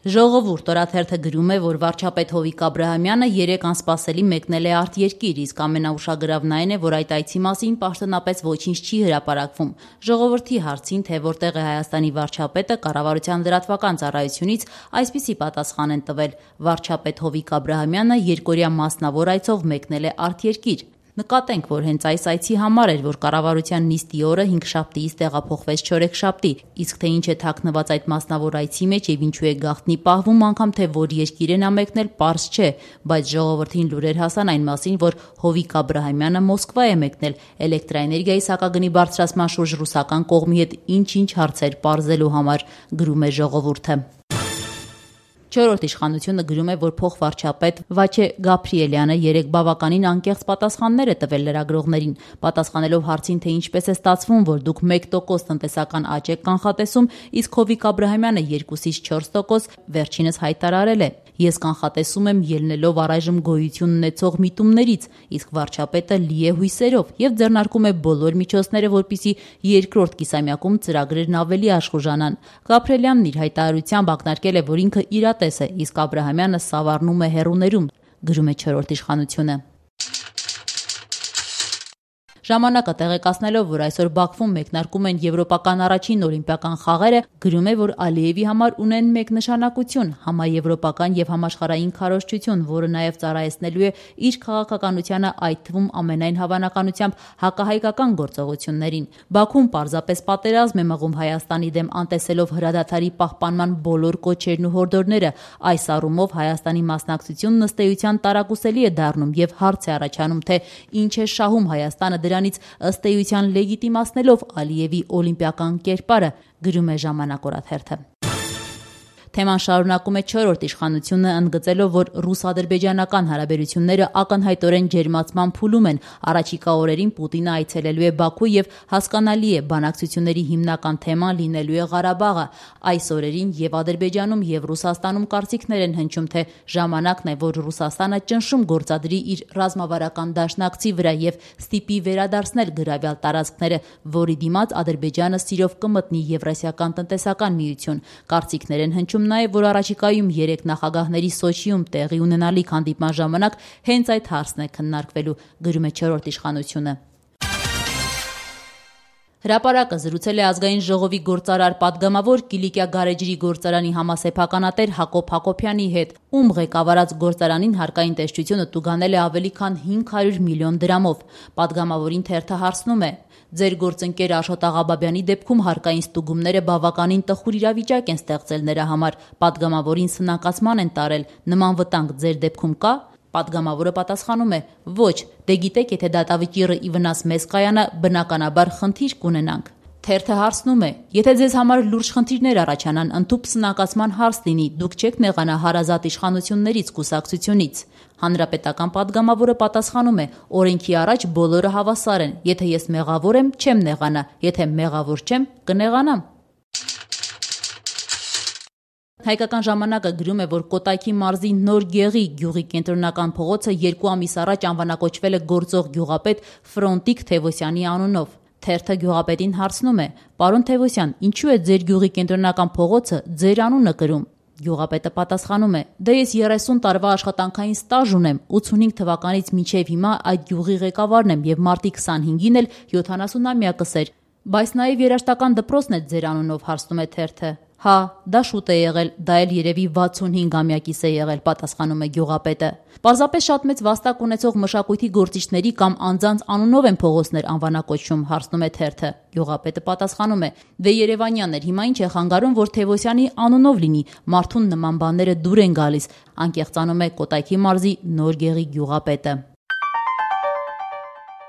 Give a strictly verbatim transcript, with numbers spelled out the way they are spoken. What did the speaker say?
Ժողովուրդ օրաթերթը գրում է, որ վարչապետ Հովիկ Աբրահամյանը երեկ անսպասելի մեկնել է արտերկիր, իսկ ամենաուշագրավն այն է, որ այդ այցի մասին պաշտոնապես ոչինչ չի հրապարակվում։ Ժողովրդի հարցին, թե որտեղ է Հայաստանի վարչապետը, կառավարության լրատվական ծառայությունից այսպիսի պատասխան են տվել. վարչապետ Հովիկ Աբրահամյանը երկօրյա մասնավոր այցով մեկնել է արտերկիր։ Նկատենք, որ հենց այս այցի համար էր, որ կառավարության նիստի օրը հինգշաբթիից տեղափոխվեց չորեքշաբթի, իսկ թե ինչ է թաքնված այդ մասնավոր այցի մեջ եւ ինչու է գաղտնի պահվում, անգամ թե որ երկիր է նա մեկնել, պարզ չէ, բայց ժողովրդին լուրեր հասան այն մասին, որ Հովիկ Աբրահամյանը Մոսկվա է մեկնել էլեկտրաէներգիայի սակագնի բարձրացման շուրջ ռուսական կողմի հետ ինչ-ինչ հարցեր պարզելու համար, գրում է ժողովուրդը։ Չորրորդ իշխանությունը գրում է, որ փոխվարչապետ Վաչե Գաբրիելյանը երեկ բավականին անկեղծ պատասխաններ է տվել լրագրողներին, պատասխանելով հարցին, թե ինչպես է ստացվում, որ դուք մեկ տոկոս տնտեսական աճ եք կանխատեսում, իսկ Հովիկ Աբրահամյանը երկուսից չորս տոկոս, վերջինս հայտարարել է. Ես կանխատեսում եմ ելնելով առայժմ գոյություն ունեցող միտումներից, իսկ վարչապետը լի է հույսերով եւ ձեռնարկում է բոլոր միջոցները, որպեսզի երկրորդ կիսամյակում ծրագրերն ավելի աշխուժանան։ Գաբրիելյանն իր հայտարարությամբ ակնարկել է, որ ինքը իրատես է, իսկ Աբրահամյանը սավառնում է հեռուներում, գրում է չորրորդ իշխանությունը։ Ժամանակը տեղեկացնելով, որ այսօր Բաքվում մեկնարկում են եվրոպական առաջին օլիմպիական խաղերը, գրում է, որ Ալիևի համար ունեն մեկ նշանակություն՝ համաեվրոպական եւ համաշխարհային քարոզչություն, որը նաեւ ծառայեցնելու է իր քաղաքականությանը, այդ թվում ամենայն հավանականությամբ հակահայկական գործողություններին։ Բաքուն պարզապես պատերազմ է մղում Հայաստանի դեմ, անտեսելով հրադադարի պահպանման բոլոր կոչերն ու հորդորները։ Այս առումով Հայաստանի մասնակցությունն ըստ էության տարակուսելի է դառնում եւ հարց է առաջանում, թե ինչ է շահում Հայաստանը դրա ըստ էության լեգիտիմացնելով Ալիևի օլիմպիական կերպարը, գրում է Ժամանակ օրաթերթը։ Թեման շարունակում է չորրորդ իշխանությունը, ընդգծելով, որ ռուս-ադրբեջանական հարաբերությունները ակնհայտորեն ջերմացման փուլում են։ Առաջիկա օրերին Պուտինը այցելելու է Բաքու եւ հասկանալի է, բանակցությունների հիմնական թեման լինելու է Ղարաբաղը։ Այս օրերին եւ Ադրբեջանում եւ Ռուսաստանում կարծիքներ են հնչում, թե ժամանակն է, որ Ռուսաստանը ճնշում գործադրի իր ռազմավարական դաշնակցի վրա եւ ստիպի վերադարձնել գրավյալ տարածքները, որի դիմաց Ադրբեջանը սիրով կմտնի Եվրասիական տնտեսական միություն։ Կարծիքներ են հնչում նաև, որ առաջիկայում երեք նախագահների Սոչիում տեղի ունենալիք հանդիպման ժամանակ հենց այդ հարցն է քննարկվելու, գրում է չորրորդ իշխանությունը։ Հրապարակը զրուցել է ազգային ժողովի գործարար պատգամավոր Կիլիկիա գարեջրի գործարանի համասեփականատեր Հակոբ Հակոբյանի հետ, ում ղեկավարած գործարանին հարկային տեսչությունը տուգանել է ավելի քան հինգ հարյուր միլիոն դրամով։ Պատգամավորին թերթը հարցնում է. Ձեր գործընկեր Աշոտ Աղաբաբյանի դեպքում հարկային ստուգումները բավականին տխուր իրավիճակ են ստեղծել նրա համար, պատգամավորին սնանկացման են տարել, նման վտանգ ձեր դեպքում կա։ Պատգամավորը պատասխանում է. ոչ, դե գիտեք, եթե դատավճիռը ի վնաս մեզ կայանա, բնականաբար խնդիր կունենանք։ Թերթը հարցնում է. եթե ձեզ համար լուրջ խնդիրներ առաջանան, ընդհուպ սնանկացման հարց լինի, դուք չեք նեղանա հարազատ իշխանություններից, կուսակցությունից։ Հանրապետական պատգամավորը պատասխանում է. օրենքի առաջ բոլորը հավասար են, եթե ես մեղավոր եմ, չեմ նեղանա, եթե մեղավոր չեմ, կնեղանամ։ Հայկական ժամանակը գրում է, որ Կոտայքի մարզի Նոր Գեղի գյուղի կենտրոնական փողոցը երկու ամիս առաջ անվանակոչվել է գործող գյուղապետ Ֆրոնտիկ Թևոսյանի անունով։ Թերթը գյուղապետին հարցնում է. Պարոն Թևոսյան, ինչու է ձեր գյուղի կենտրոնական փողոցը ձեր անունը կրում։ Գյուղապետը պատասխանում է. դե ես երեսուն տարվա աշխատանքային ստաժ ունեմ, ութսունհինգ թվականից մինչև հիմա այդ գյուղի ղեկավարն եմ եւ մարտի քսանհինգին էլ յոթանասունամյակս էր։ Բայց նաեւ երաժշտական դպրոցն է ձեր անունով, հարցնում է թերթը։ Հա, դա շուտ է եղել, դա էլ երևի վաթսունհինգամյակիս է եղել, պատասխանում է գյուղապետը։ Պարզապես շատ մեծ վաստակ ունեցող մշակույթի գործիչների կամ անձանց անունով են փողոցներ անվանակոչում, հարցնում է թերթը։ Գյուղապետը պատասխանում է. դե Երևանյան էր, հիմա ինչ է խանգարում, որ Թևոսյանի անունով լինի, մարդուն նման բաները դուր են գալիս, անկեղծանում է Կոտայքի մարզի Նոր Գեղի գյուղապետը։